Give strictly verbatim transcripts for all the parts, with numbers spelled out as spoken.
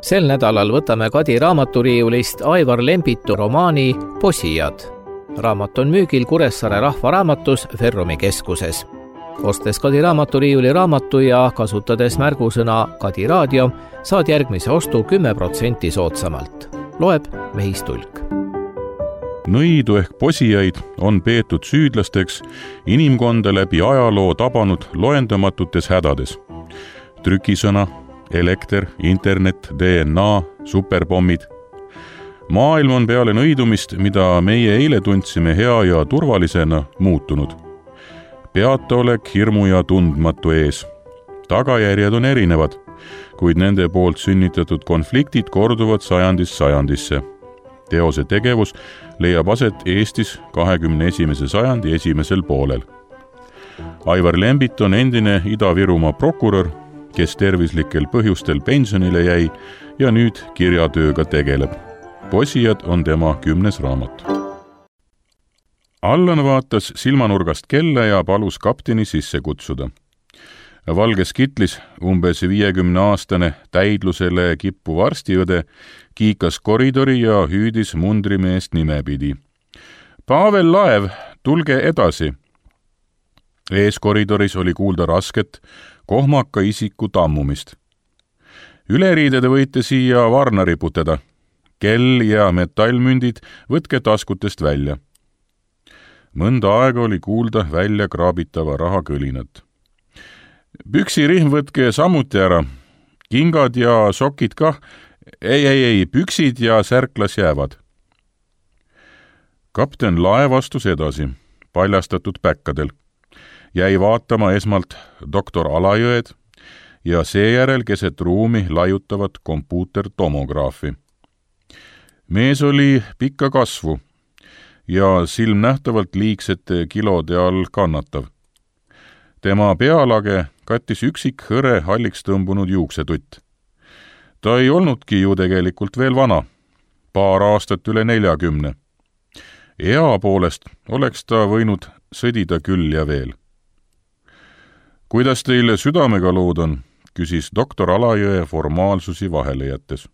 Sel nädalal võtame Kadi raamaturiiulist Aivar Lembitu romaani Posijad. Raamat on müügil Kuressaare rahvaraamatus Ferrumi keskuses. Ostes Kadi raamaturiiuli raamatu ja kasutades märgusõna Kadi raadio, saad järgmise ostu kümme protsenti soodsamalt. Loeb Mehis Tulk. Nõidu ehk posijaid on peetud süüdlasteks inimkonda läbi ajaloo tabanud loendamatutes hädades. Trükisõna, elekter, internet, D N A, superpommid. Maailm on peale nõidumist, mida meie eile tundsime hea ja turvalisena, muutunud. Peataolek hirmu ja tundmatu ees. Tagajärjed on erinevad, kuid nende poolt sünnitatud konfliktid korduvad sajandist sajandisse. Teose tegevus leiab aset Eestis kahekümne esimese sajandi esimesel poolel. Aivar Lembit on endine Ida-Virumaa prokurör, kes tervislikel põhjustel pensionile jäi ja nüüd kirjatööga tegeleb. Posijad on tema kümnes raamat. Allan vaatas silmanurgast kella ja palus kapteni sisse kutsuda. Valges kitlis umbes viiekümne aastane täidlusele kippuv arstiõde kiikas koridori ja hüüdis mundrimeest nimepidi. Pavel Laev, tulge edasi! Ees koridoris oli kuulda rasket, kohmaka isiku tammumist. Üleriidede võite siia varna riputada. Kell ja metallmündid võtke taskutest välja. Mõnda aega oli kuulda välja kraabitava raha kõlinat. Püksirihm võtke samuti ära. Kingad ja sokid kah. Ei, ei, ei, püksid ja särklas jäävad. Kapten Laev astus edasi, paljastatud päkkadel. Jäi vaatama esmalt doktor Alajõed ja seejärel keset ruumi laiutavat kompuutertomograafi. Mees oli pikka kasvu ja silmnähtavalt liigsete kilode all kannatav. Tema pealage kattis üksik hõre halliks tõmbunud juuksetutt. Ta ei olnudki ju tegelikult veel vana, paar aastat üle neljakümne. Ea poolest oleks ta võinud sõdida küll ja veel. Kuidas teile südamega lood on, küsis doktor Alajõe formaalsusi vahele jättes.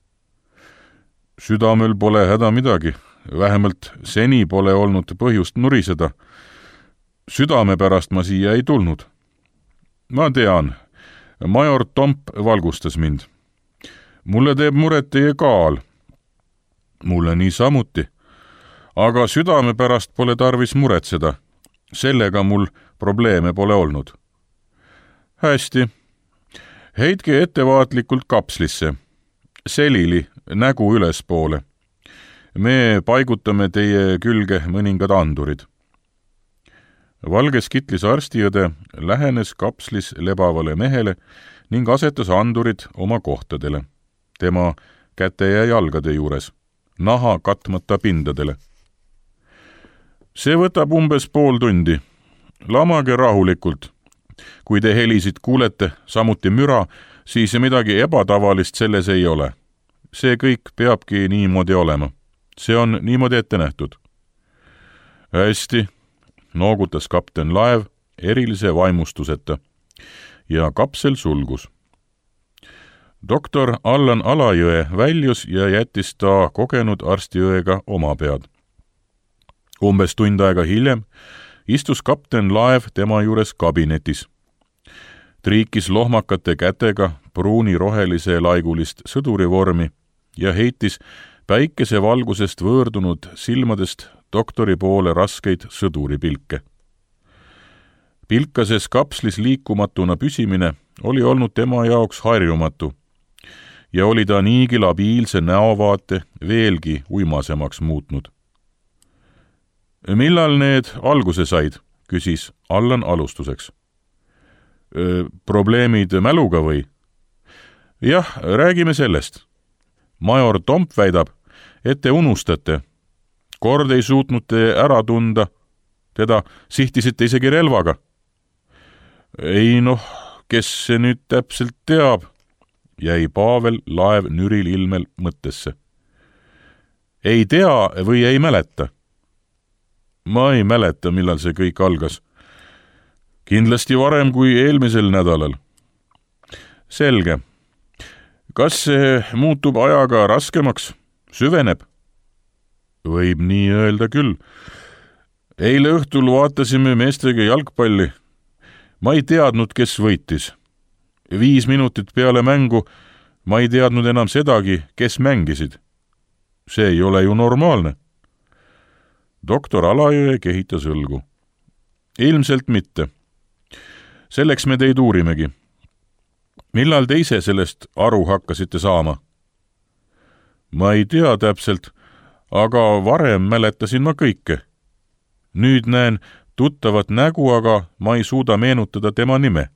Südamel pole häda midagi, vähemalt seni pole olnud põhjust nuriseda. Südame pärast ma siia ei tulnud. Ma tean, major Tomp valgustas mind. Mulle teeb muret teie kaal. Mulle nii samuti. Aga südame pärast pole tarvis muretseda. Sellega mul probleeme pole olnud. Hästi. Heitke ettevaatlikult kapslisse. Selili, nägu ülespoole. Me paigutame teie külge mõningad andurid. Valges kitlis arstiõde lähenes kapslis lebavale mehele ning asetas andurid oma kohtadele. Tema käte ja jalgade juures, naha katmata pindadele. See võtab umbes pool tundi. Lamage rahulikult. Kui te helisid kuulete, samuti müra, siis midagi ebatavalist selles ei ole. See kõik peabki niimoodi olema. See on niimoodi ette nähtud. Hästi. Noogutas kapten Laev erilise vaimustuseta ja kapsel sulgus. Doktor Allan Alajõe väljus ja jättis ta kogenud arstiõega oma pead. Umbes tund aega hiljem istus kapten Laev tema juures kabinetis. Triikis lohmakate kätega pruuni rohelise laigulist sõdurivormi ja heitis päikese valgusest võõrdunud silmadest doktori poole raskeid sõduripilke. Pilkases kapslis liikumatuna püsimine oli olnud tema jaoks harjumatu ja oli ta niigi labiilse näovaate veelgi uimasemaks muutnud. Millal need alguse said, küsis Allan alustuseks. Probleemid mäluga või? Jah, räägime sellest. Major Tomp väidab, et te unustate. Kord ei suutnud te ära tunda. Teda sihtisite isegi relvaga. Ei noh, kes see nüüd täpselt teab, jäi Pavel Laev nüril ilmel mõttesse. Ei tea või ei mäleta? Ma ei mäleta, millal see kõik algas. Kindlasti varem kui eelmisel nädalal. Selge. kas see muutub ajaga raskemaks, süveneb? Võib nii öelda küll. Eile õhtul vaatasime meestega jalgpalli. Ma ei teadnud, kes võitis. Viis minutit peale mängu ma ei teadnud enam sedagi, kes mängisid. See ei ole ju normaalne. Doktor Alajõe kehitas õlgu. Ilmselt mitte. Selleks me teid uurimegi. Millal te ise sellest aru hakkasite saama? Ma ei tea täpselt, aga varem mäletasin ma kõike. Nüüd näen tuttavat nägu, aga ma ei suuda meenutada tema nime.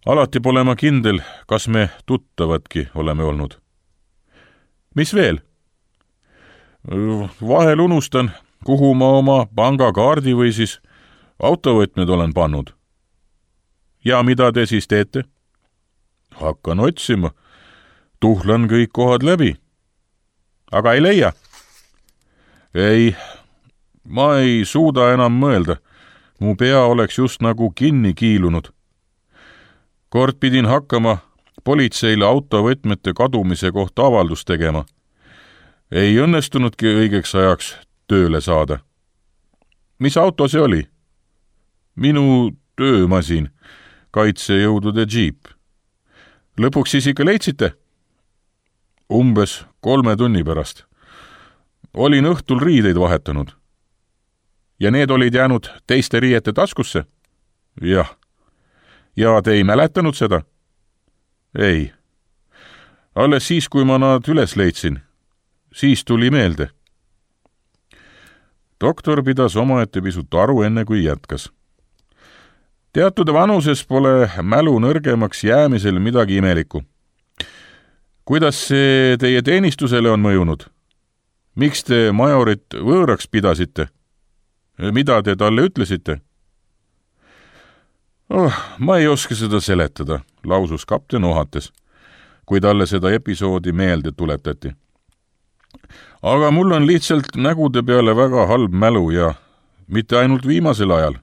Alati pole ma kindel, kas me tuttavadki oleme olnud. Mis veel? Vahel unustan, kuhu ma oma pangakaardi või siis autovõtmed olen pannud. Ja mida te siis teete? Hakkan otsima. Tuhlan kõik kohad läbi. Aga ei leia? Ei, ma ei suuda enam mõelda. Mu pea oleks just nagu kinni kiilunud. Kord pidin hakkama politseile autovõtmete kadumise kohta avaldust tegema. Ei õnnestunudki õigeks ajaks tööle saada. Mis auto see oli? Minu töömasin, kaitsejõudude džiip. Lõpuks siis ikka leidsite? Umbes kolme tunni pärast. Olin õhtul riideid vahetanud. Ja need olid jäänud teiste riiete taskusse? Jah. Ja te ei mäletanud seda? Ei. Alles siis, kui ma nad üles leidsin. Siis tuli meelde. Doktor pidas omaette pisut aru enne, kui jätkas. Teatud vanuses pole mälu nõrgemaks jäämisel midagi imelikku. Kuidas see teie teenistusele on mõjunud? Miks te majorit võõraks pidasite? Mida te talle ütlesite? Oh, ma ei oska seda seletada, lausus kapten ohates, kui talle seda episoodi meelde tuletati. Aga mul on lihtsalt nägude peale väga halb mälu ja mitte ainult viimasel ajal.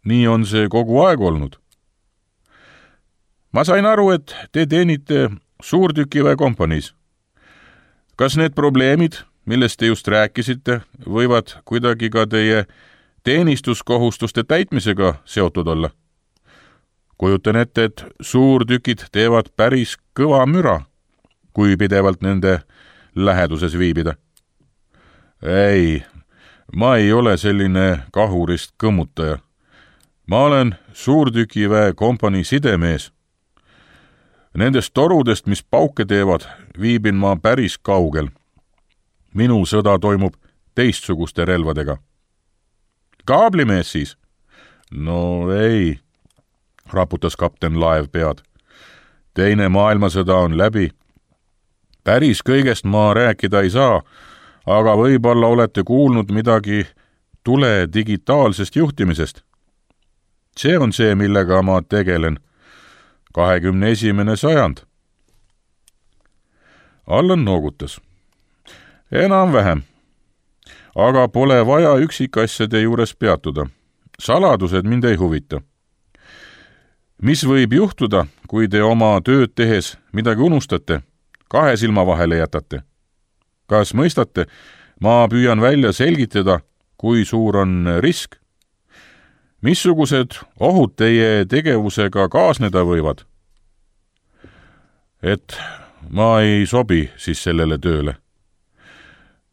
Nii on see kogu aeg olnud. Ma sain aru, et te teenite suurtükiväe kompaniis. Kas need probleemid, millest te just rääkisite, võivad kuidagi ka teie teenistuskohustuste täitmisega seotud olla? Kujutan ette, et suurtükid teevad päris kõva müra, kui pidevalt nende läheduses viibida. Ei, ma ei ole selline kahurist kõmmutaja. Ma olen suurtükiväe kompanii sidemees. Nendest torudest, mis pauke teevad, viibin ma päris kaugel. Minu sõda toimub teistsuguste relvadega. Kaablimees siis? No ei, raputas kapten Laev pead. Teine maailmasõda on läbi. Päris kõigest ma rääkida ei saa, aga võib-olla olete kuulnud midagi tule digitaalsest juhtimisest. See on see, millega ma tegelen. kahekümne esimene sajand. Allan noogutas. Enam-vähem. Aga pole vaja üksikasjade juures peatuda. Saladused mind ei huvita. Mis võib juhtuda, kui te oma tööd tehes midagi unustate, kahe silma vahele jätate? Kas mõistate, ma püüan välja selgitada, kui suur on risk? Missugused ohud teie tegevusega kaasneda võivad? Et ma ei sobi siis sellele tööle.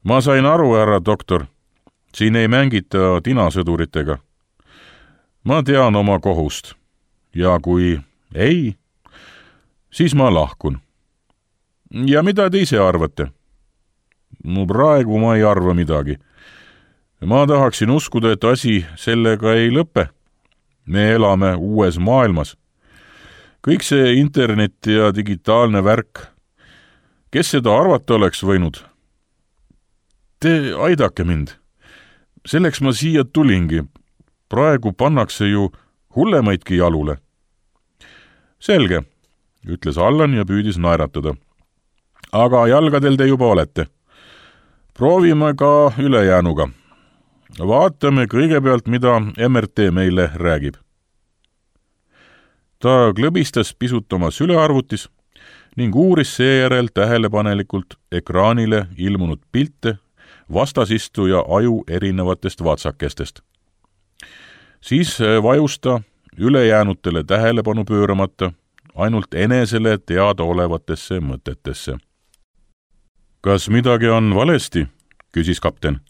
Ma sain aru, härra doktor, siin ei mängita tinasõduritega. Ma tean oma kohust ja kui ei, siis ma lahkun. Ja mida te ise arvate? No praegu ma ei arva midagi. Ma tahaksin uskuda, et asi sellega ei lõpe. Me elame uues maailmas. Kõik see internet ja digitaalne värk. Kes seda arvata oleks võinud? Te aidake mind. Selleks ma siia tulingi. Praegu pannakse ju hullemaidki jalule. Selge, ütles Allan ja püüdis naeratada. Aga jalgadel te juba olete. Proovime ka ülejäänuga. Vaatame kõigepealt, mida M R T meile räägib. Ta klõbistas pisut oma sülearvutis ning uuris seejärel tähelepanelikult ekraanile ilmunud pilte vastasistuja aju erinevatest vatsakestest. Siis vajus ta ülejäänutele tähelepanu pööramata ainult enesele teadaolevatesse mõtetesse. Kas midagi on valesti? Küsis kapten.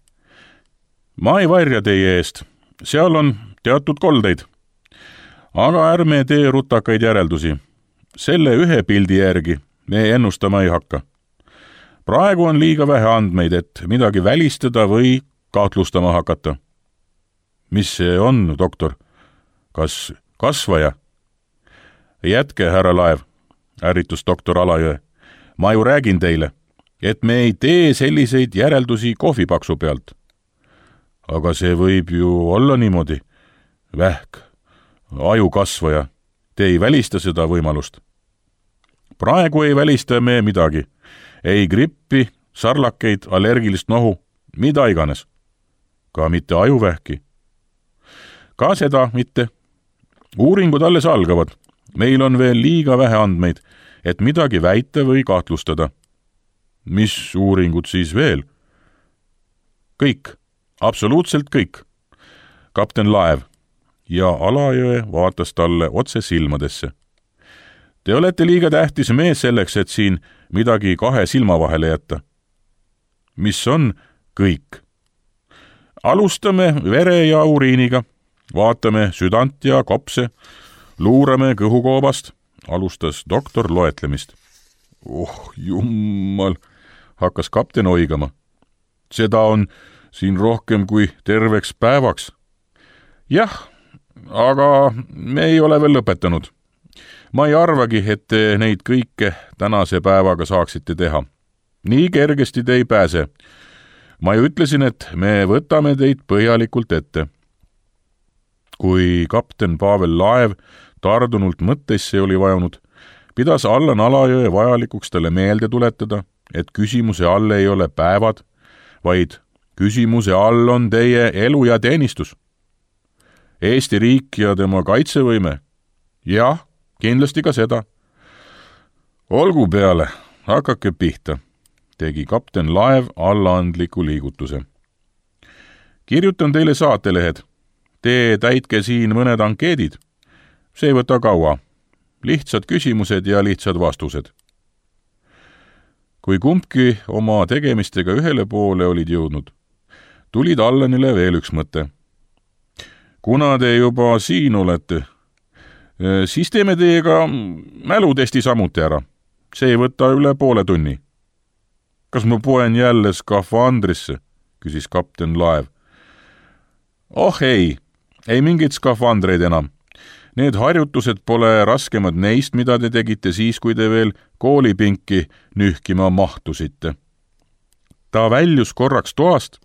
Ma ei varja teie eest. Seal on teatud koldeid. Aga ärme tee rutakaid järeldusi. Selle ühe pildi järgi me ennustama ei hakka. Praegu on liiga vähe andmeid, et midagi välistada või kahtlustama hakata. Mis see on, doktor? Kas kasvaja? Jätke, härra Laev, ärritus doktor Alajõe. Ma ju räägin teile, et me ei tee selliseid järeldusi kohvipaksu pealt. Aga see võib ju olla niimoodi. Vähk, ajukasvaja. Te ei välista seda võimalust. Praegu ei välista me midagi. Ei grippi, sarlakeid, allergilist nohu, mida iganes. Ka mitte ajuvähki. Ka seda mitte. Uuringud alles algavad. Meil on veel liiga vähe andmeid, et midagi väita või kahtlustada. Mis uuringud siis veel? Kõik. Absoluutselt kõik. Kapten Laev ja Alajõe vaatas talle otse silmadesse. Te olete liiga tähtis mees selleks, et siin midagi kahe silma vahele jätta. Mis on kõik? Alustame vere ja uriiniga, vaatame südant ja kopse, luurame kõhukoobast, alustas doktor loetlemist. Oh, jummal, hakkas kapten oigama. Seda on siin rohkem kui terveks päevaks. Jah, aga me ei ole veel lõpetanud. Ma ei arvagi, et te neid kõike tänase päevaga saaksite teha. Nii kergesti te ei pääse. Ma ju ütlesin, et me võtame teid põhjalikult ette. Kui kapten Pavel Laev tardunult mõttesse oli vajunud, pidas Allan Alajõe vajalikuks talle meelde tuletada, et küsimuse all ei ole päevad, vaid küsimuse all on teie elu ja teenistus. Eesti riik ja tema kaitsevõime. Jah, kindlasti ka seda. Olgu peale, hakake pihta, tegi kapten Laev allaandliku liigutuse. Kirjutan teile saatelehed. Te täitke siin mõned ankeedid. See ei võta kaua. Lihtsad küsimused ja lihtsad vastused. Kui kumbki oma tegemistega ühele poole olid jõudnud, tulid Allanile veel üks mõte. Kuna te juba siin olete, siis teeme teiega mälutesti samuti ära. See ei võta üle poole tunni. Kas ma poen jälle skafandrisse, küsis kapten Laev. Oh ei, ei mingit skafandreid enam. Need harjutused pole raskemad neist, mida te tegite siis, kui te veel koolipinki nühkima mahtusite. Ta väljus korraks toast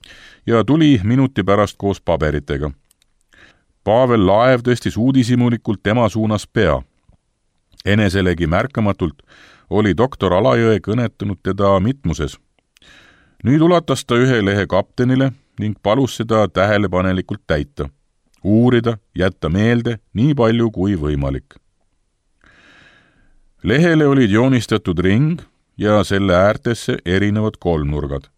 ja tuli minuti pärast koos paberitega. Pavel Laev tõstis uudishimulikult tema suunas pea. Eneselegi märkamatult oli doktor Alajõe kõnetanud teda mitmuses. Nüüd ulatas ta ühe lehe kaptenile ning palus seda tähelepanelikult täita. Uurida, jätta meelde nii palju kui võimalik. Lehele olid joonistatud ring ja selle äärtesse erinevad kolmnurgad.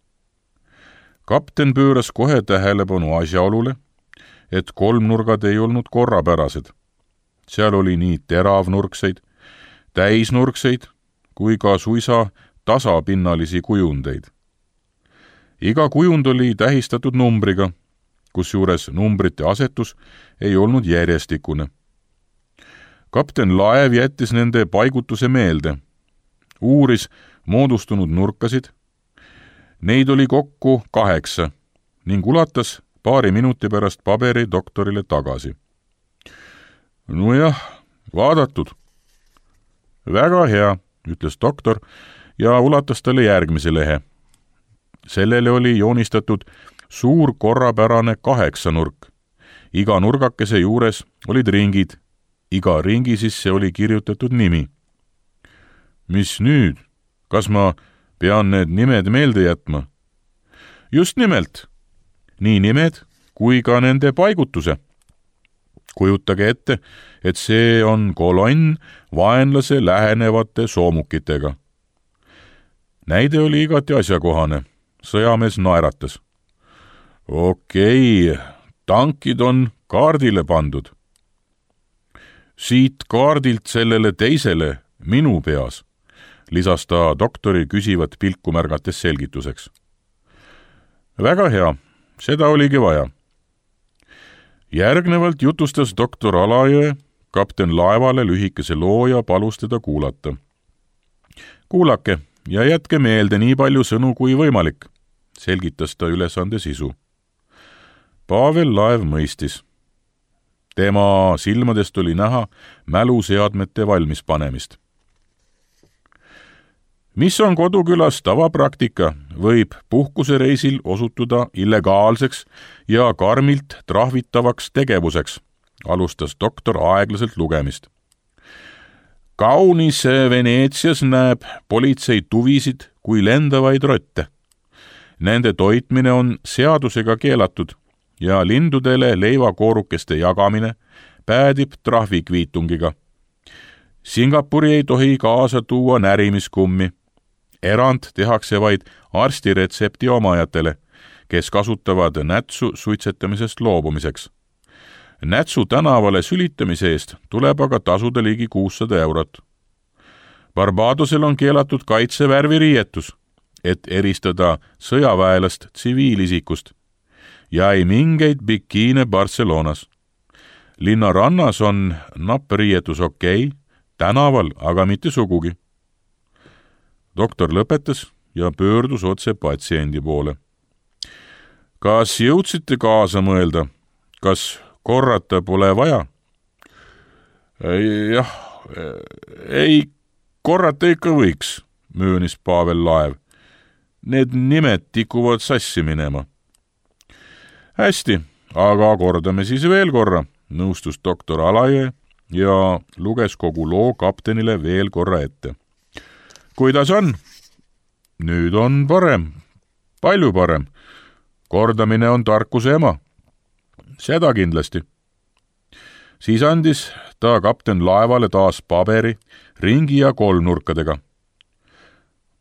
Kapten pööras kohe tähelepanu asjaolule, et kolmnurgad ei olnud korrapärased. Seal oli nii teravnurkseid, täisnurkseid kui ka suisa tasapinnalisi kujundeid. Iga kujund oli tähistatud numbriga, kusjuures numbrite asetus ei olnud järjestikune. Kapten Laev jättis nende paigutuse meelde, uuris moodustunud nurkasid. Neid oli kokku kaheksa ning ulatas paari minuti pärast paberi doktorile tagasi. Nojah, vaadatud. Väga hea, ütles doktor ja ulatas talle järgmise lehe. Sellele oli joonistatud suur korrapärane kaheksanurk. Iga nurgakese juures olid ringid. Iga ringi sisse oli kirjutatud nimi. Mis nüüd? Kas ma pean need nimed meelde jätma? Just nimelt. Nii nimed kui ka nende paigutuse. kujutage ette, et see on kolonn vaenlase lähenevate soomukitega. Näide oli igati asjakohane. Sõjamees naeratas. Okei, tankid on kaardile pandud. Siit kaardilt sellele teisele minu peas, lisas ta doktori küsivat pilku märgates selgituseks. Väga hea, seda oligi vaja. Järgnevalt jutustas doktor Alajõe kapten laevale lühikese loo ja palus teda kuulata. Kuulake ja jätke meelde nii palju sõnu kui võimalik, selgitas ta ülesande sisu. Pavel Laev mõistis. Tema silmadest oli näha mäluseadmete valmispanemist. Mis on kodukülas tavapraktika, võib puhkusereisil osutuda illegaalseks ja karmilt trahvitavaks tegevuseks, alustas doktor aeglaselt lugemist. Kaunis Veneetsias näeb politsei tuvisid kui lendavaid rotte. Nende toitmine on seadusega keelatud ja lindudele leivakoorukeste jagamine päädib trahvikviitungiga. Singapuri ei tohi kaasa tuua närimiskummi. Erand tehakse vaid arstiretsepti omajatele, kes kasutavad nätsu suitsetamisest loobumiseks. Nätsu tänavale sülitamise eest tuleb aga tasuda ligi kuussada eurot. Barbadosel on keelatud kaitsevärviriietus, et eristada sõjaväelast tsiviilisikust, ja ei mingeid bikiine Barcelonas. Linna rannas on nappariietus okei, tänaval aga mitte sugugi. Doktor lõpetas ja pöördus otse patsiendi poole. Kas jõudsite kaasa mõelda? Kas korrata pole vaja? Jah, ei korrata ikka võiks, möönis Pavel Laev. Need nimed tikuvad sassi minema. Hästi, aga kordame siis veel korra, nõustus doktor Alajõe ja luges kogu loo kaptenile veel korra ette. Kuidas on? Nüüd on parem, palju parem. Kordamine on tarkuse ema. Seda kindlasti. Siis andis ta kapten laevale taas paberi, ringi ja kolmnurkadega.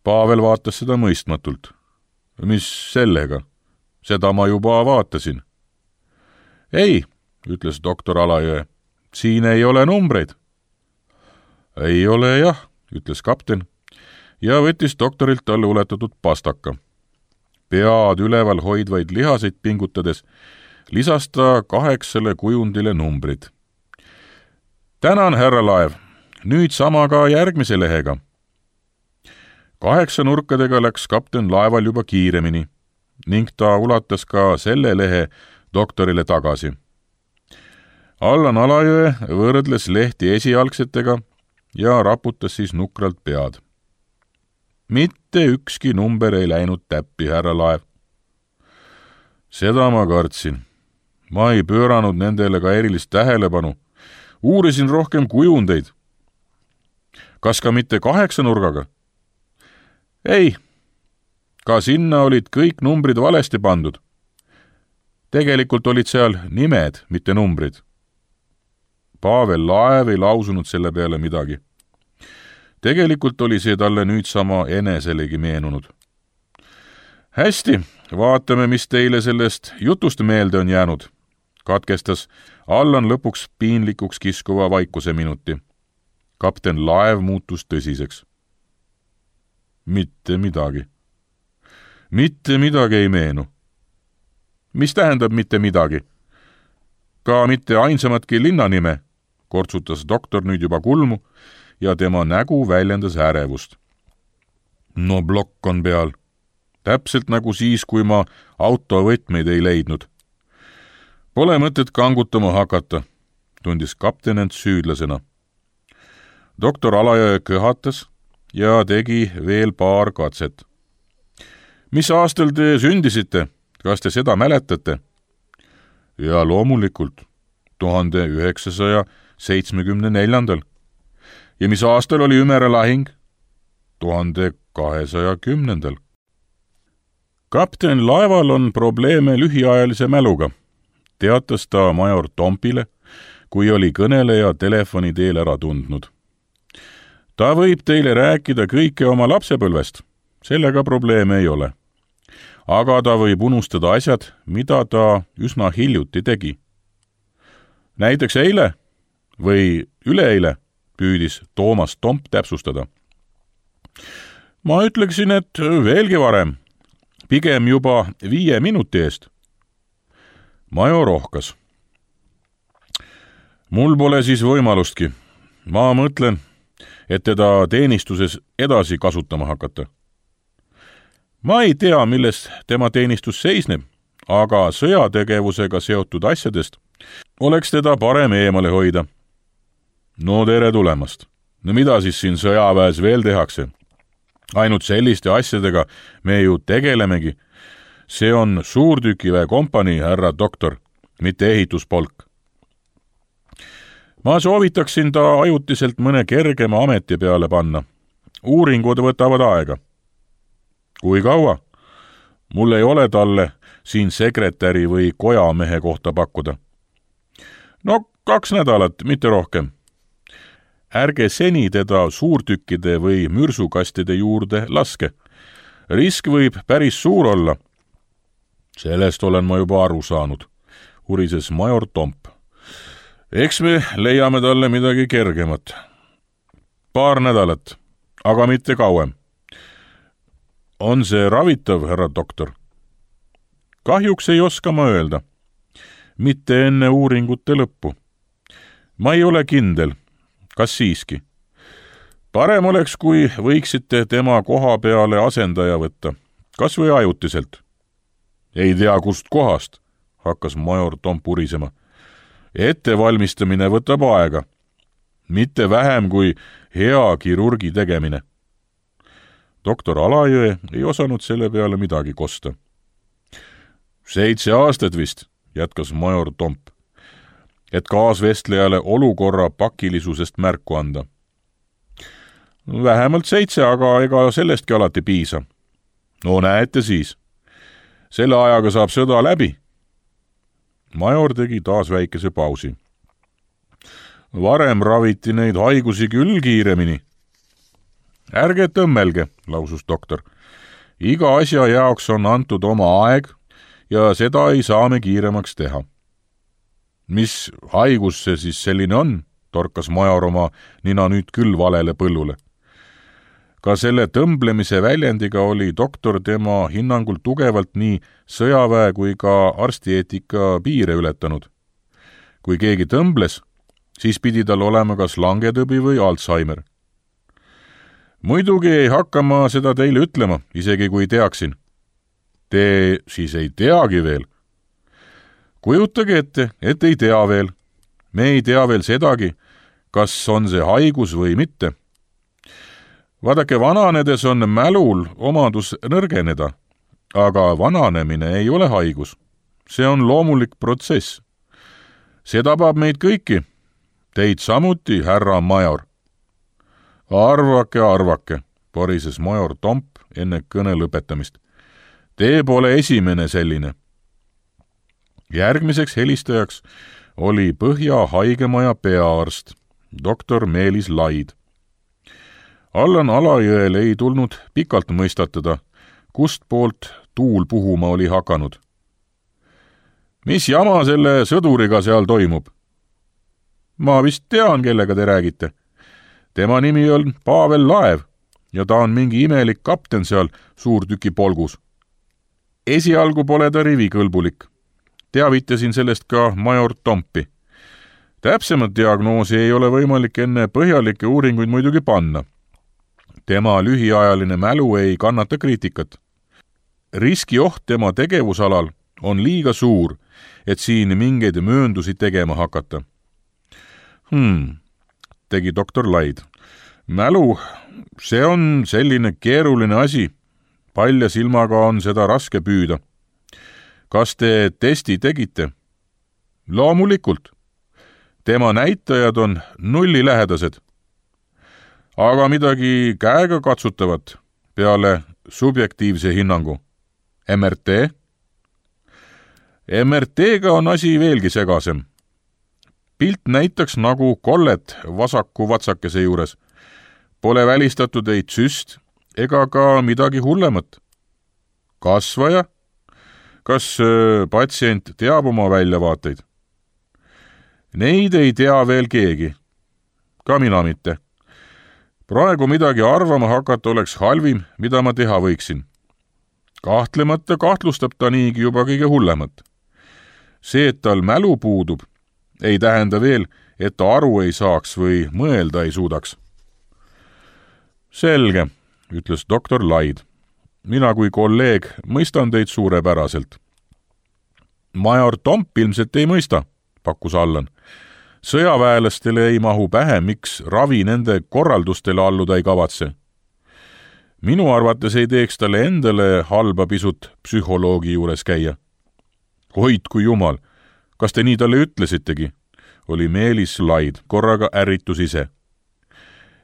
Pavel vaatas seda mõistmatult. Mis sellega? Seda ma juba vaatasin. Ei, ütles doktor Alajõe, siin ei ole numbreid. Ei ole jah, ütles kapten ja võttis doktorilt talle uletatud pastaka. Pead üleval hoidvaid lihaseid pingutades lisas ta kaheksale kujundile numbrid. Tänan, härra Laev, nüüd sama ka järgmise lehega. Kaheksa nurkadega läks kapten laeval juba kiiremini ning ta ulatas ka selle lehe doktorile tagasi. Allan Alajõe võrdles lehti esialgsetega ja raputas siis nukralt pead. Mitte ükski number ei läinud täppi, härra Laev. Seda ma kartsin. Ma ei pööranud nendele ka erilist tähelepanu. Uurisin rohkem kujundeid. Kas ka mitte kaheksa nurgaga? Ei, ka sinna olid kõik numbrid valesti pandud. Tegelikult olid seal nimed, mitte numbrid. Pavel Laev ei lausunud selle peale midagi. Tegelikult oli see talle nüüd sama eneselegi meenunud. Hästi, vaatame, mis teile sellest jutust meelde on jäänud, katkestas Allan lõpuks piinlikuks kiskuva vaikuse minuti. Kapten Laev muutus tõsiseks. Mitte midagi. Mitte midagi ei meenu. Mis tähendab mitte midagi? Ka mitte ainsamatki linnanime, kortsutas doktor nüüd juba kulmu ja tema nägu väljendas ärevust. No plokk on peal. Täpselt nagu siis, kui ma autovõtmeid ei leidnud. Pole mõtet kangutama hakata, tundis kapten end süüdlasena. Doktor Alajõe köhatas ja tegi veel paar katset. Mis aastal te sündisite? Kas te seda mäletate? Ja loomulikult, tuhande üheksasaja seitsmekümne neljandal. Ja mis aastal oli Ümere lahing? tuhande kahesaja kümnendal. Kapten laeval on probleeme lühiajalise mäluga, teatas ta major Tompile, kui oli kõneleja telefoni teel ära tundnud. Ta võib teile rääkida kõike oma lapsepõlvest, sellega probleeme ei ole. Aga ta võib unustada asjad, mida ta üsna hiljuti tegi. Näiteks eile või üleeile, püüdis Toomas Tomp täpsustada. Ma ütleksin, et veelgi varem, pigem juba viie minuti eest. Major ohkas. Mul pole siis võimalustki. Ma mõtlen, et teda teenistuses edasi kasutama hakata. Ma ei tea, milles tema teenistus seisneb, aga sõjategevusega seotud asjadest oleks teda parem eemale hoida. No tere tulemast. No mida siis siin sõjaväes veel tehakse? Ainult selliste asjadega me ju tegelemegi. See on suurtükiväe kompanii, härra doktor, mitte ehituspolk. Ma soovitaksin ta ajutiselt mõne kergema ameti peale panna. Uuringud võtavad aega. Kui kaua? Mul ei ole talle siin sekretäri või kojamehe kohta pakkuda. No kaks nädalat, mitte rohkem. Ärge seni teda suurtükkide või mürsukastide juurde laske. Risk võib päris suur olla. Sellest olen ma juba aru saanud, urises major Tomp. Eks me leiame talle midagi kergemat. Paar nädalat, aga mitte kauem. On see ravitav, härra doktor? Kahjuks ei oska ma öelda. Mitte enne uuringute lõppu. Ma ei ole kindel. Kas siiski? Parem oleks, kui võiksite tema koha peale asendaja võtta, kas või ajutiselt. Ei tea, kust kohast, hakkas major Tomp urisema. Ettevalmistamine võtab aega, mitte vähem kui hea kirurgi tegemine. Doktor Alajõe ei osanud selle peale midagi kosta. Seitse aastat vist, jätkas major Tomp, et kaasvestlejale olukorra pakilisusest märku anda. Vähemalt seitse, aga ega sellestki alati piisa. No näete siis. Selle ajaga saab sõda läbi. Major tegi taas väikese pausi. Varem raviti neid haigusi küll kiiremini. Ärge tõmmelge, lausus doktor. Iga asja jaoks on antud oma aeg ja seda ei saa me kiiremaks teha. Mis haigus see siis selline on, torkas major oma nina nüüd küll valele põllule. Ka selle tõmblemise väljendiga oli doktor tema hinnangul tugevalt nii sõjaväe kui ka arstieetika piire ületanud. Kui keegi tõmbles, siis pidi tal olema kas langetõbi või Alzheimer. Muidugi ei hakka ma seda teile ütlema, isegi kui teaksin. Te siis ei teagi veel. Kujutage ette, et ei tea veel. Me ei tea veel sedagi, kas on see haigus või mitte. Vaadake, vananedes on mälul omadus nõrgeneda, aga vananemine ei ole haigus. See on loomulik protsess. See tabab meid kõiki. Teid samuti, härra major. Arvake, arvake, porises major Tomp enne kõne lõpetamist. Te pole esimene selline. Järgmiseks helistajaks oli Põhja haigemaja peaarst, doktor Meelis Laid. Allan Alajõel ei tulnud pikalt mõistatada, kust poolt tuul puhuma oli hakanud. Mis jama selle sõduriga seal toimub? Ma vist tean, kellega te räägite. Tema nimi on Pavel Laev ja ta on mingi imelik kapten seal suurtüki polgus. Esialgu pole ta rivikõlbulik. Teavitasin sellest ka major Tompi. Täpsemat diagnoosi ei ole võimalik enne põhjalikke uuringuid muidugi panna. Tema lühiajaline mälu ei kannata kriitikat. Riskioht tema tegevusalal on liiga suur, et siin mingeid mööndusi tegema hakata. Hmm, tegi doktor Laid. Mälu, see on selline keeruline asi. Palja silmaga on seda raske püüda. Kas te testi tegite? Loomulikult. Tema näitajad on nullilähedased. Aga midagi käega katsutavat peale subjektiivse hinnangu. M R T? M R T-ga on asi veelgi segasem. pilt näitaks nagu kollet vasaku vatsakese juures. Pole välistatud ei tsüst ega ka midagi hullemat. Kasvaja? Kas öö, patsient teab oma väljavaateid? Neid ei tea veel keegi. Ka mina mitte. Praegu midagi arvama hakata oleks halvim, mida ma teha võiksin. Kahtlemata kahtlustab ta niigi juba kõige hullemat. See, et tal mälu puudub, ei tähenda veel, et ta aru ei saaks või mõelda ei suudaks. Selge, ütles doktor Laid. Mina kui kolleeg mõistan teid suurepäraselt. Major Tomp ilmselt ei mõista, pakkus Allan. Sõjaväelastele ei mahu pähe, miks ravi nende korraldustele alluda ei kavatse. Minu arvates ei teeks talle endale halba pisut psühholoogi juures käia. Hoidku jumal, kas te nii talle ütlesitegi? Oli Meelis Laid, korraga ärritus ise.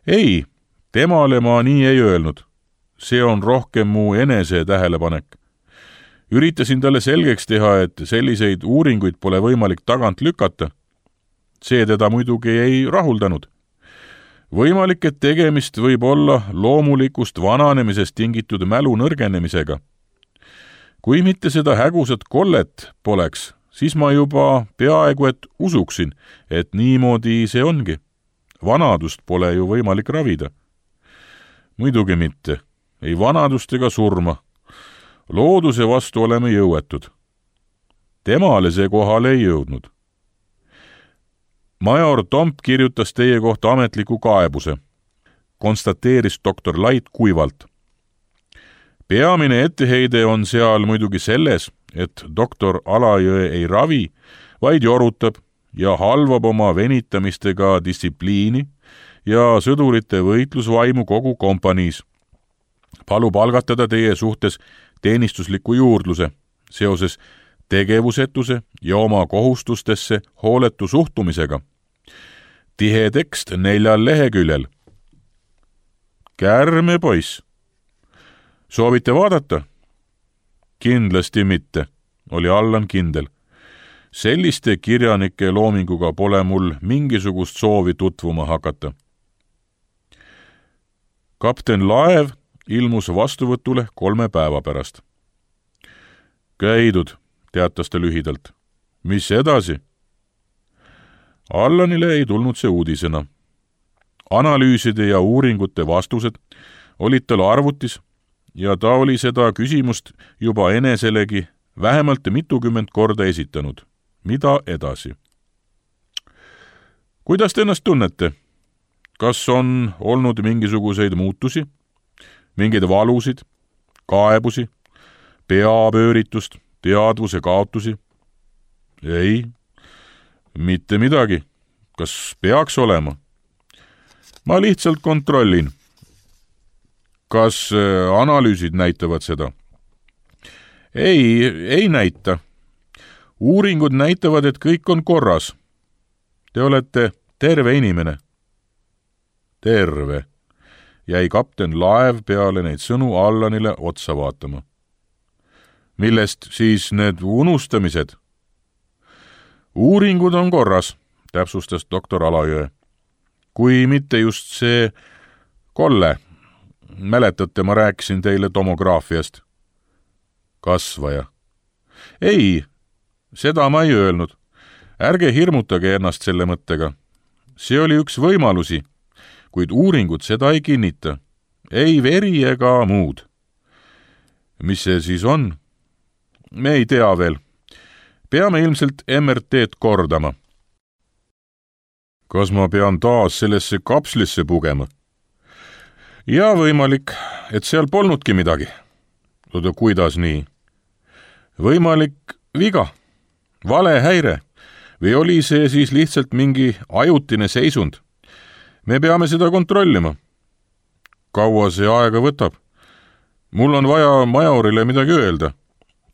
Ei, temale ma nii ei öelnud. See on rohkem mu enese tähelepanek. Üritasin talle selgeks teha, et selliseid uuringuid pole võimalik tagant lükata. See teda muidugi ei rahuldanud. Võimalik, et tegemist võib olla loomulikust vananemisest tingitud mälu nõrgenemisega. Kui mitte seda hägusat kollet poleks, siis ma juba peaaegu et usuksin, et niimoodi see ongi. Vanadust pole ju võimalik ravida. Muidugi mitte. Ei vanadust ega surma. Looduse vastu oleme jõuetud. Temale see kohale ei jõudnud. Major Tomp kirjutas teie kohta ametliku kaebuse, konstateeris doktor Laid kuivalt. Peamine etteheide on seal muidugi selles, et doktor Alajõe ei ravi, vaid jorutab ja halvab oma venitamistega distsipliini ja sõdurite võitlusvaimu kogu kompaniis. Palub algatada teie suhtes teenistusliku juurdluse seoses tegevusetuse ja oma kohustustesse hooletu suhtumisega. Tihe tekst neljal leheküljel. Kärme poiss. Soovite vaadata? Kindlasti mitte, oli Allan kindel. Selliste kirjanike loominguga pole mul mingisugust soovi tutvuma hakata. Kapten Laev ilmus vastuvõtule kolme päeva pärast. Käidud, teatas ta lühidalt. Mis edasi? Allanile ei tulnud see uudisena. Analüüside ja uuringute vastused olid tal arvutis ja ta oli seda küsimust juba eneselegi vähemalt mitukümmend korda esitanud. Mida edasi? Kuidas te ennast tunnete? Kas on olnud mingisuguseid muutusi? Mingeid valusid, kaebusi, peapööritust, teadvuse kaotusi? Ei, mitte midagi. Kas peaks olema? Ma lihtsalt kontrollin. Kas analüüsid näitavad seda? Ei, ei näita. Uuringud näitavad, et kõik on korras. Te olete terve inimene. Terve. Jäi kapten Laev peale neid sõnu Allanile otsa vaatama. Millest siis need unustamised? Uuringud on korras, täpsustas doktor Alajõe. Kui mitte just see kolle. Mäletate, ma rääkisin teile tomograafiast. Kasvaja. Ei, seda ma ei öelnud. Ärge hirmutage ennast selle mõttega. See oli üks võimalusi, kuid uuringud seda ei kinnita. Ei veri ega muud. Mis see siis on? Me ei tea veel. Peame ilmselt M R T-d kordama. Kas ma pean taas sellesse kapslisse pugema? Ja võimalik, et seal polnudki midagi. Oda, kuidas nii? Võimalik viga, vale häire, või oli see siis lihtsalt mingi ajutine seisund? Me peame seda kontrollima. Kaua see aega võtab? Mul on vaja majorile midagi öelda.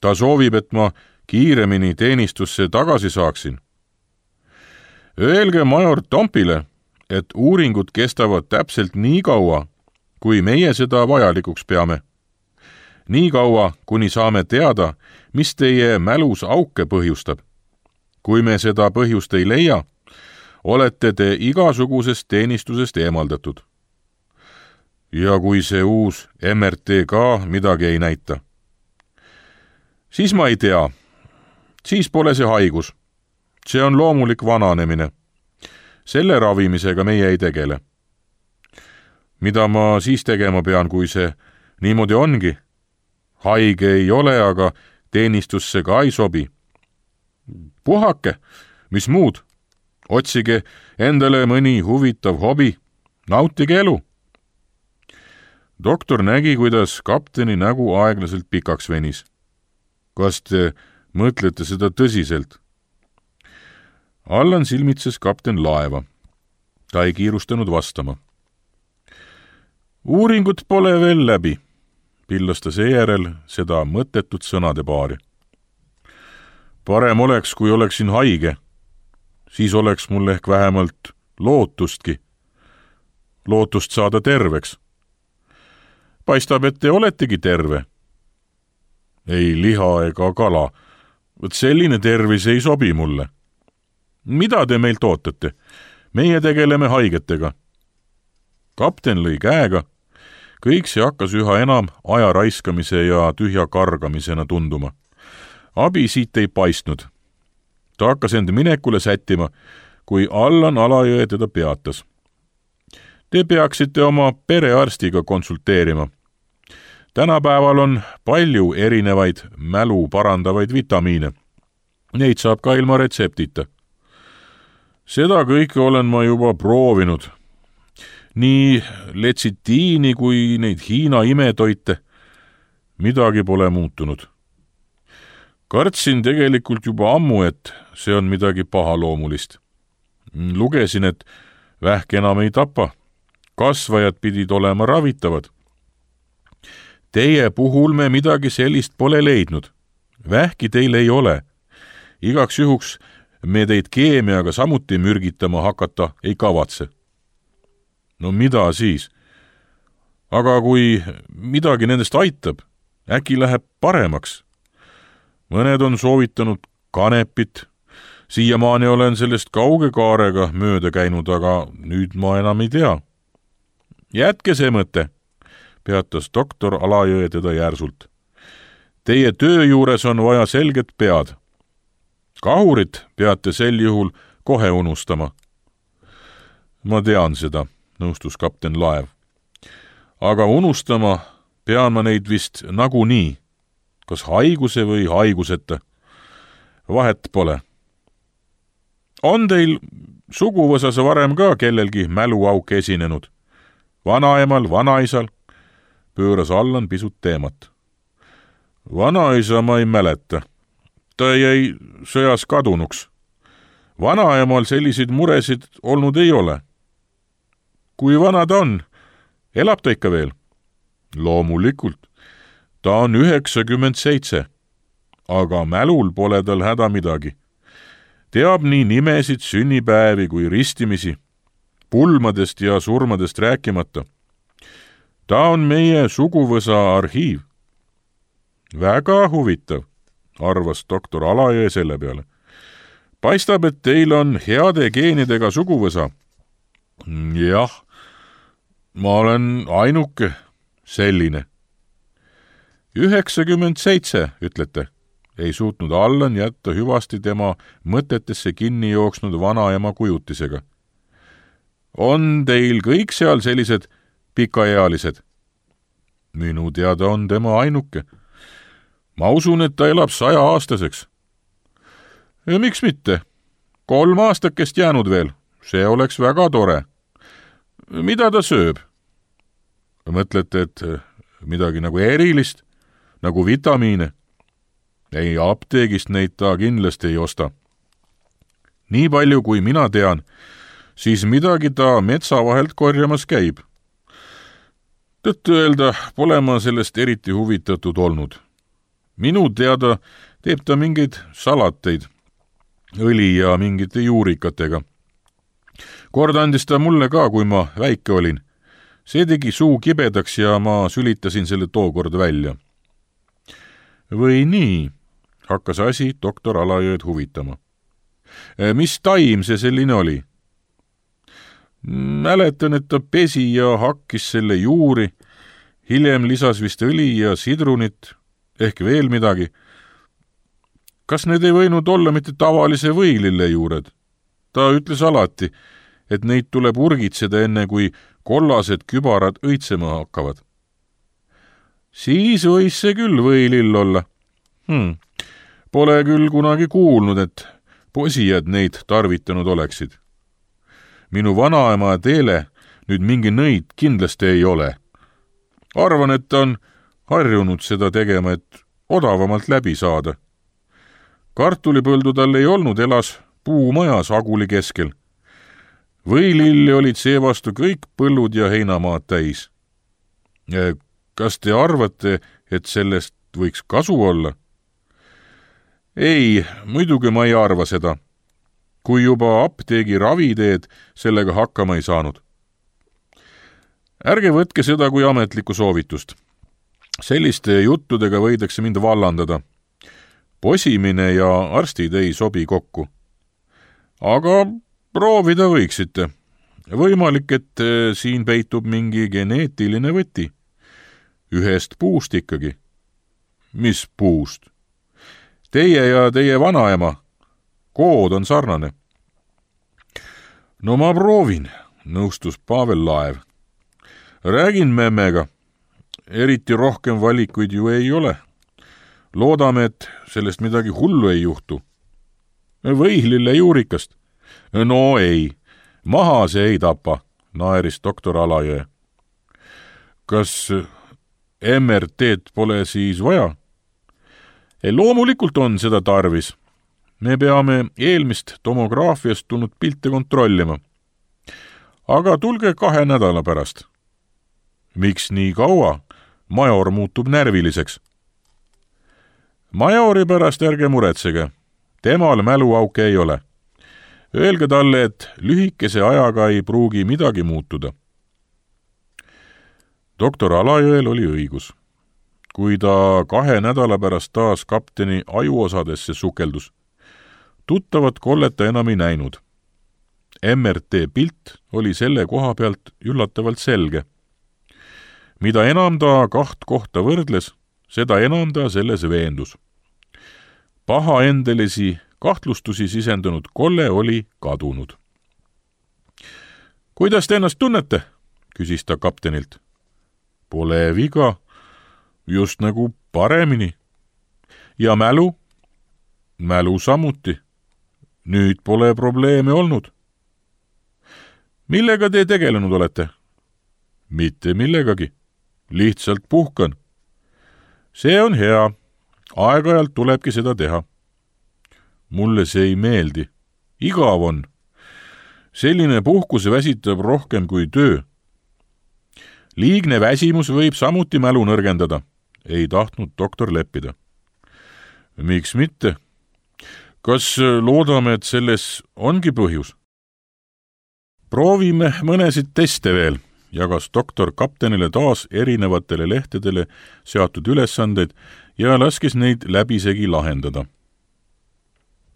Ta soovib, et ma kiiremini teenistusse tagasi saaksin. Öelge major Tompile, et uuringud kestavad täpselt nii kaua, kui meie seda vajalikuks peame. Nii kaua, kuni saame teada, mis teie mälus auke põhjustab. Kui me seda põhjust ei leia, olete te igasugusest teenistusest eemaldatud. Ja kui see uus M R T ka midagi ei näita, siis ma ei tea, siis pole see haigus. See on loomulik vananemine. Selle ravimisega meie ei tegele. Mida ma siis tegema pean, kui see niimoodi ongi? Haige ei ole, aga teenistusse ka ei sobi. Puhake, mis muud? Otsige endale mõni huvitav hobi, nautige elu. Doktor nägi, kuidas kapteni nägu aeglaselt pikaks venis. Kas te mõtlete seda tõsiselt? Allan silmitses kapten laeva. Ta ei kiirustanud vastama. Uuringut pole veel läbi, pillas ta seejärel seda mõttetut sõnade paari. Parem oleks, kui oleksin haige. Siis oleks mul ehk vähemalt lootustki. Lootust saada terveks. Paistab, et te oletegi terve. Ei liha ega kala. Võt selline tervis ei sobi mulle. Mida te meilt ootate? Meie tegeleme haigetega. Kapten lõi käega. Kõik see hakkas üha enam aja raiskamise ja tühja kargamisena tunduma. Abi siit ei paistnud. Ta hakkas end minekule sättima, kui Allan Alajõe teda peatas. Te peaksite oma perearstiga konsulteerima. Tänapäeval on palju erinevaid mälu parandavaid vitamiine. Neid saab ka ilma retseptita. Seda kõike olen ma juba proovinud. Nii letsitiini kui neid Hiina imetoite. Midagi pole muutunud. Kartsin tegelikult juba ammu, et see on midagi pahaloomulist. Lugesin, et vähk enam ei tapa. Kasvajad pidid olema ravitavad. Teie puhul me midagi sellist pole leidnud. Vähki teil ei ole. Igaks juhuks me teid keemiaga samuti mürgitama hakata ei kavatse. No mida siis? Aga kui midagi nendest aitab, äkki läheb paremaks. Mõned on soovitanud kanepit. Siiamaani olen sellest kauge kaarega mööda käinud, aga nüüd ma enam ei tea. Jätke see mõte, peatas doktor Alajõe teda järsult. Teie töö juures on vaja selget pead. Kahurit peate sel juhul kohe unustama. Ma tean seda, nõustus kapten Laev. Aga unustama pean ma neid vist nagunii. Kas haiguse või haiguseta? Vahet pole. On teil suguvõsas varem ka kellelgi mäluauk esinenud? Vanaemal, vanaisal? Pööras Allan pisut teemat. Vanaisa ma ei mäleta. Ta jäi sõjas kadunuks. Vanaemal selliseid muresid olnud ei ole. Kui vana ta on? Elab ta ikka veel? Loomulikult. Ta on üheksakümmend seitse, aga mälul pole tal häda midagi. Teab nii nimesid, sünnipäevi kui ristimisi, pulmadest ja surmadest rääkimata. Ta on meie suguvõsa arhiiv. Väga huvitav, arvas doktor Alajõe selle peale. Paistab, et teil on heade geenidega suguvõsa. Jah, ma olen ainuke selline. üheksakümmend seitse, ütlete, ei suutnud Allan jätta hüvasti tema mõtetesse kinni jooksnud vanaema kujutisega. On teil kõik seal sellised pikaealised? Minu teada on tema ainuke. Ma usun, et ta elab saja aastaseks. Ja miks mitte? Kolm aastakest jäänud veel. See oleks väga tore. Mida ta sööb? Mõtlete, et midagi nagu erilist? Nagu vitamiine. Ei, apteegist neid ta kindlasti ei osta. Nii palju, kui mina tean, siis midagi ta metsa vahelt korjamas käib. Tõttu öelda, pole ma sellest eriti huvitatud olnud. Minu teada teeb ta mingeid salateid, õli ja mingite juurikatega. Kord andis ta mulle ka, kui ma väike olin. See tegi suu kibedaks ja ma sülitasin selle tookord välja. Või nii, hakkas asi doktor Alajõed huvitama. Mis taim see selline oli? Mäletan, et ta pesi ja hakkis selle juuri, hiljem lisas vist õli ja sidrunit, ehk veel midagi. Kas need ei võinud olla mitte tavalise võilille juured? Ta ütles alati, et neid tuleb urgitseda enne, kui kollased kübarad õitsema hakkavad. Siis võis see küll võilill olla. Hmm. Pole küll kunagi kuulnud, et posijad neid tarvitanud oleksid. Minu vanaema teele nüüd mingi nõid kindlasti ei ole. Arvan, et ta on harjunud seda tegema, et odavamalt läbi saada. Kartulipõldu tal ei olnud, elas puumajas Aguli keskel. Võililli olid seevastu kõik põllud ja heinamaad täis. Kas te arvate, et sellest võiks kasu olla? Ei, muidugi ma ei arva seda. Kui juba apteegi raviteed sellega hakkama ei saanud. Ärge võtke seda kui ametlikku soovitust. Selliste juttudega võidakse mind vallandada. Posimine ja arstid ei sobi kokku. Aga proovida võiksite. Võimalik, et siin peitub mingi geneetiline võti. Ühest puust ikkagi. Mis puust? Teie ja teie vanaema. Kood on sarnane. No ma proovin, nõustus Pavel Laev. Räägin memmega. Eriti rohkem valikuid ju ei ole. Loodame, et sellest midagi hullu ei juhtu. Võihlille juurikast. No ei, maha see ei tapa, naeris doktor Alajõe. Kas M R T-d pole siis vaja? Ei, loomulikult on seda tarvis. Me peame eelmist tomograafiast tulnud pilte kontrollima. Aga tulge kahe nädala pärast. Miks nii kaua? Major muutub närviliseks. Majori pärast ärge muretsege. Temal mäluauke ei ole. Öelge talle, et lühikese ajaga ei pruugi midagi muutuda. Doktor Alajõel oli õigus. Kui ta kahe nädala pärast taas kapteni ajuosadesse sukeldus, tuttavat kollet ta enam ei näinud. M R T pilt oli selle koha pealt üllatavalt selge. Mida enam ta kaht kohta võrdles, seda enam ta selles veendus. Pahaendelisi kahtlustusi sisendanud kolle oli kadunud. Kuidas te ennast tunnete? Küsis ta kaptenilt. Pole viga, just nagu paremini. Ja mälu? Mälu samuti. Nüüd pole probleeme olnud. Millega te tegelenud olete? Mitte millegagi. Lihtsalt puhkan. See on hea. Aeg-ajalt tulebki seda teha. Mulle see ei meeldi. Igav on. Selline puhkus väsitab rohkem kui töö. Liigne väsimus võib samuti mälu nõrgendada. Ei tahtnud doktor leppida. Miks mitte? Kas loodame, et selles ongi põhjus? Proovime mõnesid teste veel, jagas doktor kaptenile taas erinevatele lehtedele seatud ülesandeid ja laskis neid läbisegi lahendada.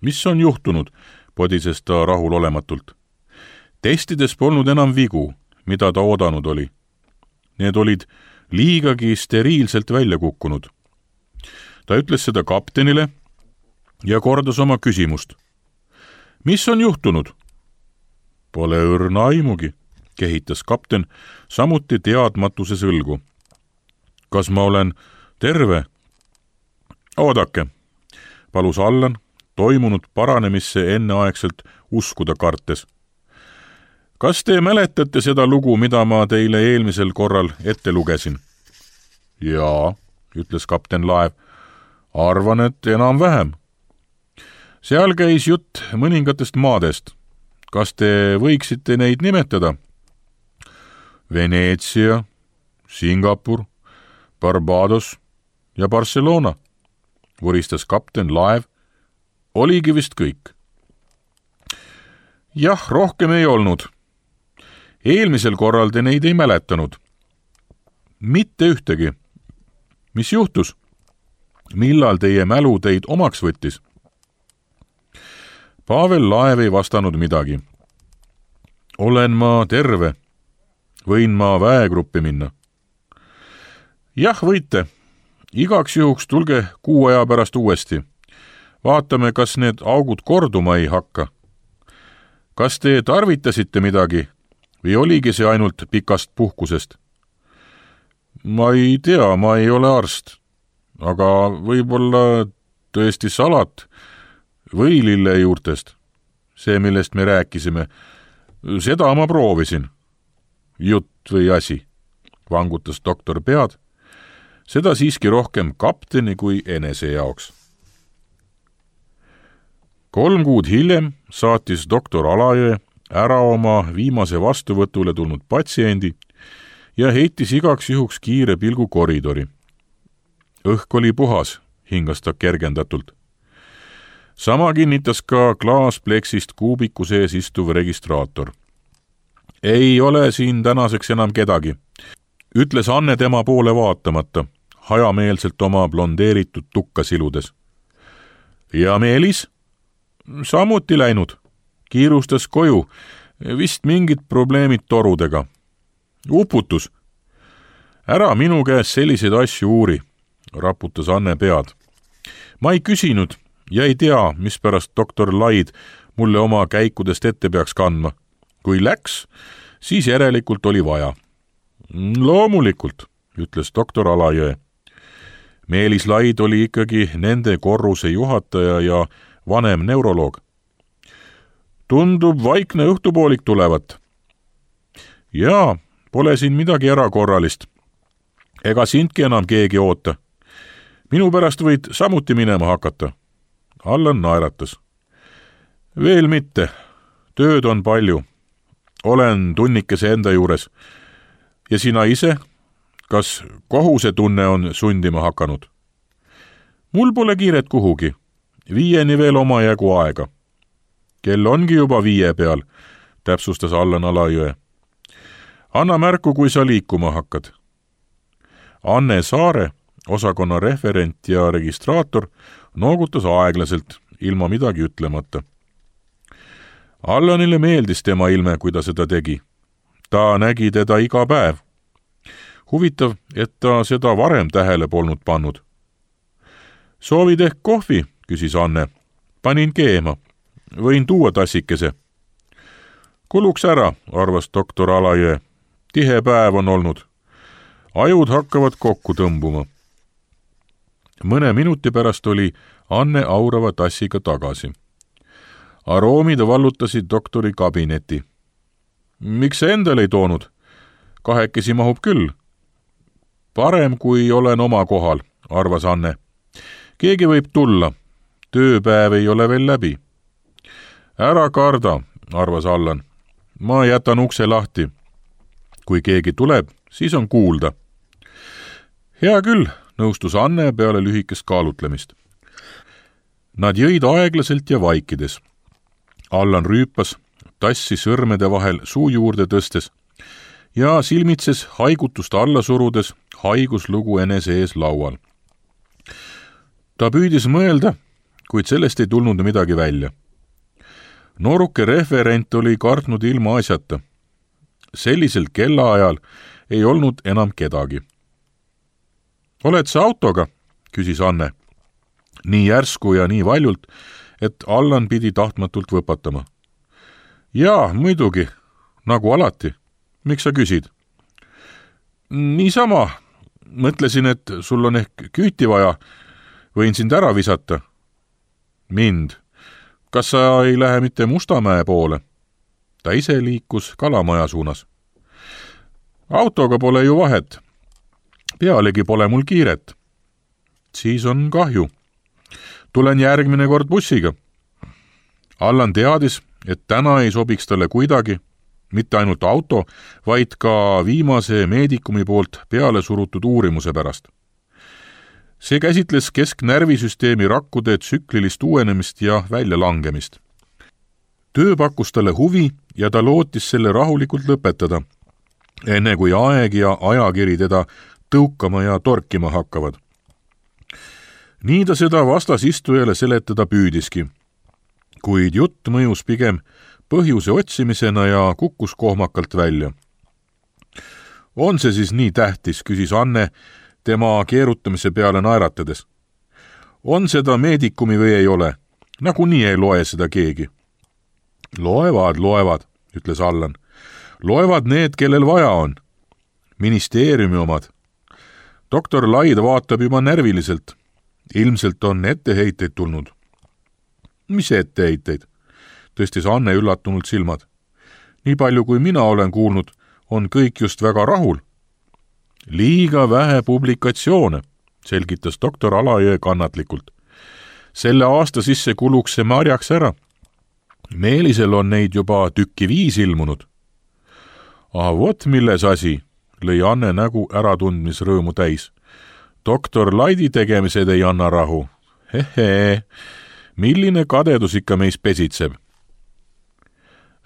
Mis on juhtunud, podises ta rahulolematult. Testides polnud enam vigu, mida ta oodanud oli. Need olid liigagi steriilselt välja kukkunud. Ta ütles seda kaptenile ja kordas oma küsimust. Mis on juhtunud? Pole õrna aimugi, kehitas kapten samuti teadmatuse sõlgu. Kas ma olen terve? Oodake, palus Allan, toimunud paranemisse enneaegselt uskuda kartes. Kas te mäletate seda lugu, mida ma teile eelmisel korral ette lugesin? Jaa, ütles kapten Laev. Arvan, et enam vähem. Seal käis jutt mõningatest maadest. Kas te võiksite neid nimetada? Veneetsia, Singapur, Barbados ja Barcelona, vuristas kapten Laev. Oligi vist kõik. Jah, rohkem ei olnud. Eelmisel korral te neid ei mäletanud. Mitte ühtegi. Mis juhtus? Millal teie mälu teid omaks võttis? Pavel Laev ei vastanud midagi. olen ma terve? Võin ma väegruppi minna? Jah, võite. Igaks juhuks tulge kuu aja pärast uuesti. Vaatame, kas need augud korduma ei hakka. Kas te tarvitasite midagi või oligi see ainult pikast puhkusest? Ma ei tea, ma ei ole arst, aga võib-olla tõesti salat või lillejuurtest, see, millest me rääkisime. Seda ma proovisin. Jutt või asi, vangutas doktor pead, seda siiski rohkem kapteni kui enese jaoks. Kolm kuud hiljem saatis doktor Alajõe ära oma viimase vastuvõtule tulnud patsiendi ja heitis igaks juhuks kiire pilgu koridori. Õhk oli puhas, hingas ta kergendatult. Sama kinnitas ka klaaspleksist kuubiku sees istuv registraator. Ei ole siin tänaseks enam kedagi, ütles Anne tema poole vaatamata, hajameelselt oma blondeeritud tukka siludes. Ja Meelis? Samuti läinud. Kiirustas koju, vist mingid probleemid torudega. Uputus. Ära minu käes selliseid asju uuri, raputas Anne pead. Ma ei küsinud ja ei tea, mispärast doktor Laid mulle oma käikudest ette peaks kandma. Kui läks, siis järelikult oli vaja. Loomulikult, ütles doktor Alajõe. Meelis Laid oli ikkagi nende korruse juhataja ja vanem neuroloog. Tundub vaikne õhtupoolik tulevat. Jaa, pole siin midagi erakorralist. Ega sindki enam keegi oota. Minu pärast võid samuti minema hakata. Allan naeratas. Veel mitte. Tööd on palju. Olen tunnikese enda juures. Ja sina ise? Kas kohusetunne on sundima hakanud? Mul pole kiiret kuhugi. Viieni veel oma jagu aega. Kell ongi juba viie peal, täpsustas Allan Alajõe. Anna märku, kui sa liikuma hakkad. Anne Saare, osakonna referent ja registraator, noogutas aeglaselt, ilma midagi ütlemata. Allanile meeldis tema ilme, kui ta seda tegi. Ta nägi teda iga päev. Huvitav, et ta seda varem tähele polnud pannud. Soovid ehk kohvi, küsis Anne. Panin keema. Võin tuua tassikese. Kuluks ära, arvas doktor Alajõe. Tihe päev on olnud. Ajud hakkavad kokku tõmbuma. Mõne minuti pärast oli Anne aurava tassiga tagasi. Aroomid vallutasid doktori kabineti. Miks sa endale ei toonud? Kahekesi mahub küll. Parem, kui olen oma kohal, arvas Anne. Keegi võib tulla. Tööpäev ei ole veel läbi. Ära karda, arvas Allan. Ma jätan ukse lahti. Kui keegi tuleb, siis on kuulda. Hea küll, nõustus Anne peale lühikest kaalutlemist. Nad jõid aeglaselt ja vaikides. Allan rüüpas, tassi sõrmede vahel suu juurde tõstes ja silmitses haigutust alla surudes haiguslugu enese ees laual. Ta püüdis mõelda, kuid sellest ei tulnud midagi välja. Nooruke referent oli kartnud ilma asjata. Sellisel kellaajal ei olnud enam kedagi. Oled sa autoga? Küsis Anne. Nii järsku ja nii valjult, et Allan pidi tahtmatult võpatama. Jaa, muidugi, nagu alati. Miks sa küsid? Niisama, mõtlesin, et sul on ehk küüti vaja. Võin sind ära visata. Mind. Kas sa ei lähe mitte Mustamäe poole? Ta ise liikus Kalamaja suunas. Autoga pole ju vahet. Pealegi pole mul kiiret. Siis on kahju. Tulen järgmine kord bussiga. Allan teadis, et täna ei sobiks talle kuidagi, mitte ainult auto, vaid ka viimase meedikumi poolt peale surutud uurimuse pärast. See käsitles kesknärvisüsteemi rakkude tsüklilist uuenemist ja väljalangemist. Töö pakkus talle huvi ja ta lootis selle rahulikult lõpetada, enne kui aeg ja ajakiri teda tõukama ja torkima hakkavad. Nii ta seda vastasistujale seletada püüdiski, kuid jutt mõjus pigem põhjuse otsimisena ja kukkus kohmakalt välja. On see siis nii tähtis, küsis Anne tema keerutamise peale naeratades. On seda meedikumi või ei ole? Nagunii ei loe seda keegi. Loevad, loevad, ütles Allan. Loevad need, kellel vaja on. Ministeeriumi omad. Doktor Laid vaatab juba närviliselt. Ilmselt on etteheiteid tulnud. Mis etteheiteid? Tõstis Anne üllatunult silmad. Nii palju kui mina olen kuulnud, on kõik just väga rahul. Liiga vähe publikatsioone, selgitas doktor Alajõe kannatlikult. Selle aasta sisse kuluks see marjaks ära. Meelisel on neid juba tükki viis ilmunud. Ah, vot milles asi, lõi Anne nägu äratundmisrõõmu täis. Doktor Laidi tegemised ei anna rahu. Hehe, milline kadedus ikka meis pesitseb.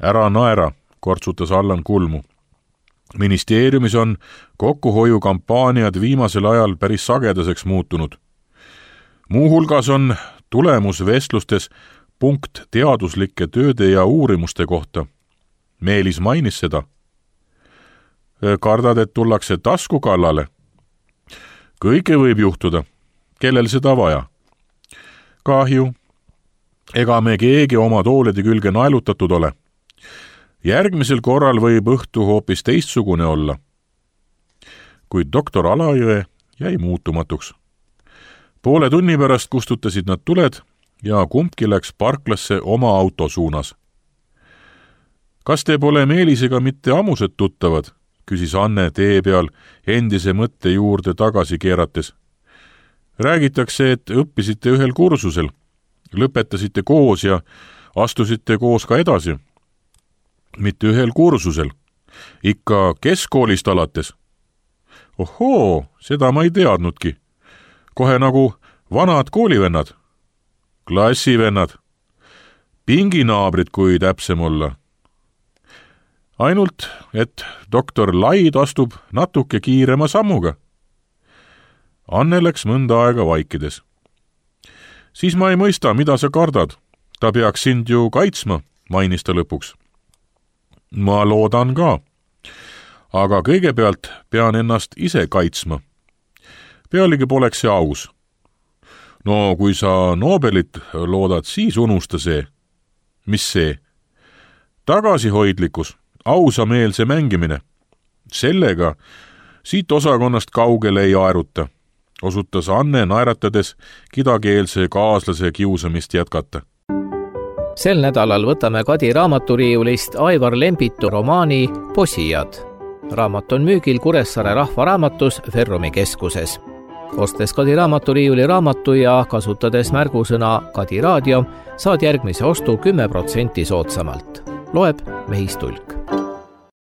Ära naera, kortsutas Allan kulmu. Ministeeriumis on kokkuhoiukampaaniad viimasel ajal päris sagedaseks muutunud. Muuhulgas on tulemusvestlustes punkt teaduslike tööde ja uurimuste kohta. Meelis mainis seda. Kardad, et tullakse tasku kallale? Kõike võib juhtuda. Kellel seda vaja? Kahju. Ega me keegi oma toolide külge naelutatud ole. Järgmisel korral võib õhtu hoopis teistsugune olla. Kuid doktor Alajõe jäi muutumatuks. Poole tunni pärast kustutasid nad tuled ja kumbki läks parklasse oma auto suunas. Kas te pole Meelisega mitte ammused tuttavad? Küsis Anne tee peal endise mõtte juurde tagasi keerates. Räägitakse, et õppisite ühel kursusel, lõpetasite koos ja astusite koos ka edasi. Mitte ühel kursusel, ikka keskkoolist alates. Ohoo, seda ma ei teadnudki. Kohe nagu vanad koolivennad, klassivennad, pinginaabrid, kui täpsem olla. Ainult, et doktor Laid astub natuke kiirema sammuga. Anne läks mõnda aega vaikides. Siis ma ei mõista, mida sa kardad. Ta peaks sind ju kaitsma, mainis ta lõpuks. Ma loodan ka. Aga kõigepealt pean ennast ise kaitsma. Pealegi poleks see aus. No kui sa Nobelit loodad, siis unusta see. Mis see? Tagasihoidlikkus, ausameelse mängimine. Sellega siit osakonnast kaugele ei aeruta, osutas Anne naeratades kidakeelse kaaslase kiusamist jätkata. Sel nädalal võtame Kadi raamaturiiulist Aivar Lembitu romaani Posijad. Raamat on müügil Kuressaare Rahvaraamatus Ferrumi keskuses. Ostes Kadi raamaturiiuli raamatu ja kasutades märgusõna Kadi raadio, saad järgmise ostu kümme protsenti soodsamalt. Loeb Mehis Tulk.